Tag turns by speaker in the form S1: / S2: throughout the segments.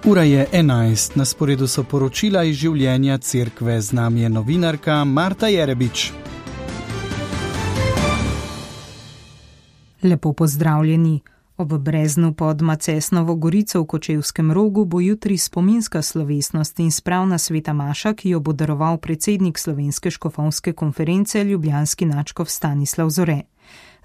S1: Ura je 11, na sporedu so poročila iz življenja cerkve, z nami je novinarka Marta Jerebič.
S2: Lepo pozdravljeni. Ob Breznu pod Macesnovo Gorico v Kočevskem Rogu bo jutri spominska slovesnost in spravna sveta maša, ki jo bo daroval predsednik Slovenske škofovske konference ljubljanski nadškof Stanislav Zore.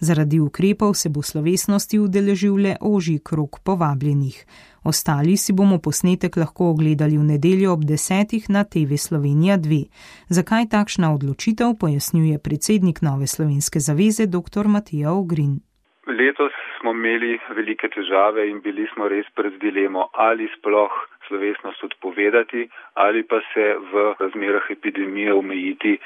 S2: Zaradi ukrepov se bo slovesnosti udeležil le ožji krog povabljenih. Ostali si bomo posnetek lahko ogledali v nedeljo ob 10 na TV Slovenija 2. Zakaj takšna odločitev, pojasnjuje predsednik Nove slovenske zaveze dr. Matija Ogrin.
S3: Letos smo imeli velike težave in bili smo res pred dilemo, ali sploh slovesnost odpovedati ali pa se v razmerah epidemije omejiti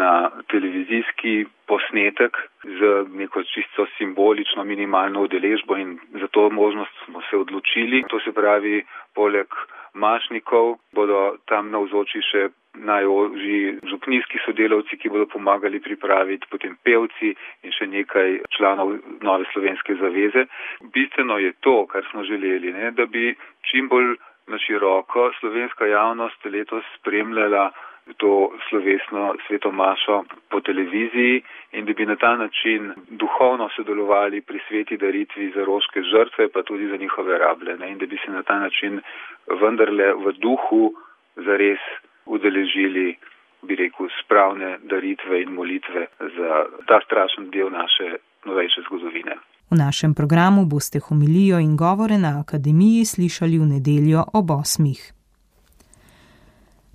S3: na televizijski posnetek z neko čisto simbolično minimalno udeležbo, in za to možnost smo se odločili. To se pravi, poleg mašnikov bodo tam navzoči še najožji župnijski sodelavci, ki bodo pomagali pripraviti, potem pevci in še nekaj članov Nove slovenske zaveze. Bistveno je to, kar smo želeli, da bi čim bolj na široko slovenska javnost letos spremljala to slovesno sveto mašo po televiziji in da bi na ta način duhovno sodelovali pri sveti daritvi za roške žrtve, pa tudi za njihove rablje, in da bi se na ta način vendarle v duhu zares udeležili, bi rekel, spravne daritve in molitve za ta strašen del naše novejše zgodovine.
S2: V našem programu boste homilijo in govore na akademiji slišali v nedeljo ob 8.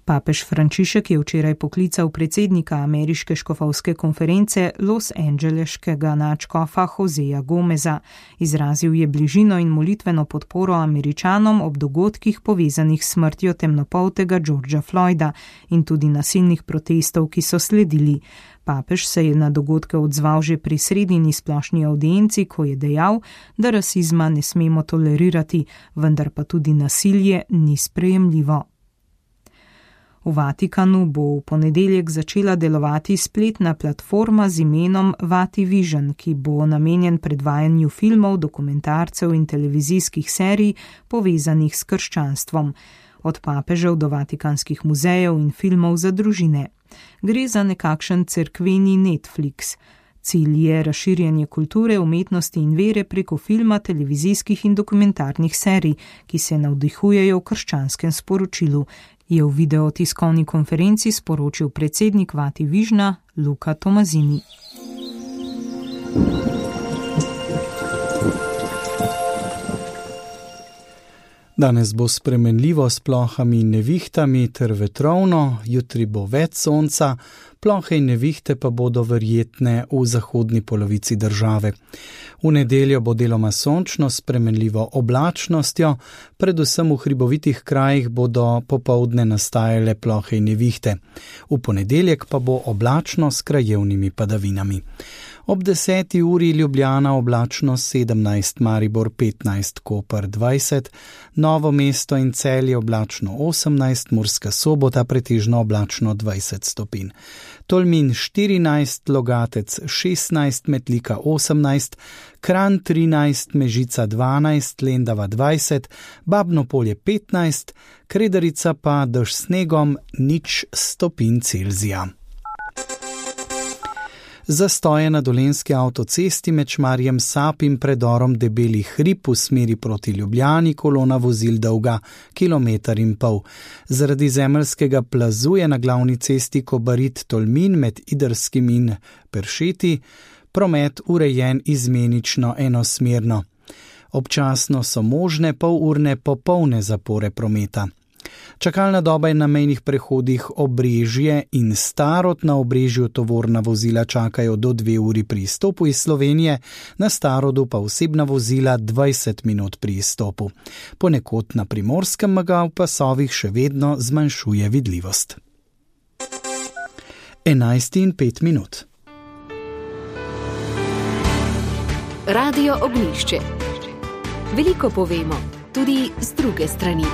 S2: Papež Frančišek je včeraj poklical predsednika ameriške škofovske konference Los Angeleškega nadškofa Joseja Gomeza. Izrazil je bližino in molitveno podporo Američanom ob dogodkih povezanih s smrtjo temnopoltega Georgea Floyda in tudi nasilnih protestov, ki so sledili. Papež se je na dogodke odzval že pri sredini splošni audienci, ko je dejal, da rasizma ne smemo tolerirati, vendar pa tudi nasilje ni sprejemljivo. V Vatikanu bo v ponedeljek začela delovati spletna platforma z imenom VatiVision, ki bo namenjen predvajanju filmov, dokumentarcev in televizijskih serij povezanih s krščanstvom, od papežev do vatikanskih muzejev in filmov za družine. Gre za nekakšen cerkveni Netflix. Cilj je razširjanje kulture, umetnosti in vere preko filma, televizijskih in dokumentarnih serij, ki se navdihujejo v krščanskem sporočilu, je v videotiskovni konferenci sporočil predsednik VatiVisiona Luca Tomazini.
S1: Danes bo spremenljivo s plohami in nevihtami ter vetrovno, jutri bo več sonca, plohe in nevihte pa bodo verjetne v zahodni polovici države. V nedeljo bo deloma sončno s spremenljivo oblačnostjo, predvsem v hribovitih krajih bodo popoldne nastajale plohe in nevihte. V ponedeljek pa bo oblačno s krajevnimi padavinami. Ob 10. uri Ljubljana oblačno 17, Maribor 15, Koper 20, Novo mesto in Celje oblačno 18, Murska Sobota pretežno oblačno 20 stopinj. Tolmin 14, Logatec 16, Metlika 18, Kranj 13, Mežica 12, Lendava 20, Babno Polje 15, Kredarica pa dež snegom 0 stopinj Celzija. Zastoje na Dolenjski avtocesti med Šmarjem Sap in predorom Debeli hrib v smeri proti Ljubljani kolona vozil dolga 1,5 km. Zaradi zemeljskega plazu je na glavni cesti Kobarid-Tolmin med Idrskim in Peršeti promet urejen izmenično enosmerno. Občasno so možne polurne popolne zapore prometa. Čakalna doba je na mejnih prehodih Obrežje in Starod. Na Obrežju tovorna vozila čakajo do 2 uri pri izstopu iz Slovenije, na Starodu pa osebna vozila 20 minut pri izstopu. Ponekod na Primorskem meja v pasovih še vedno zmanjšuje vidljivost. 11:05.
S4: Radio Ognjišče. Veliko povemo, tudi z druge strani.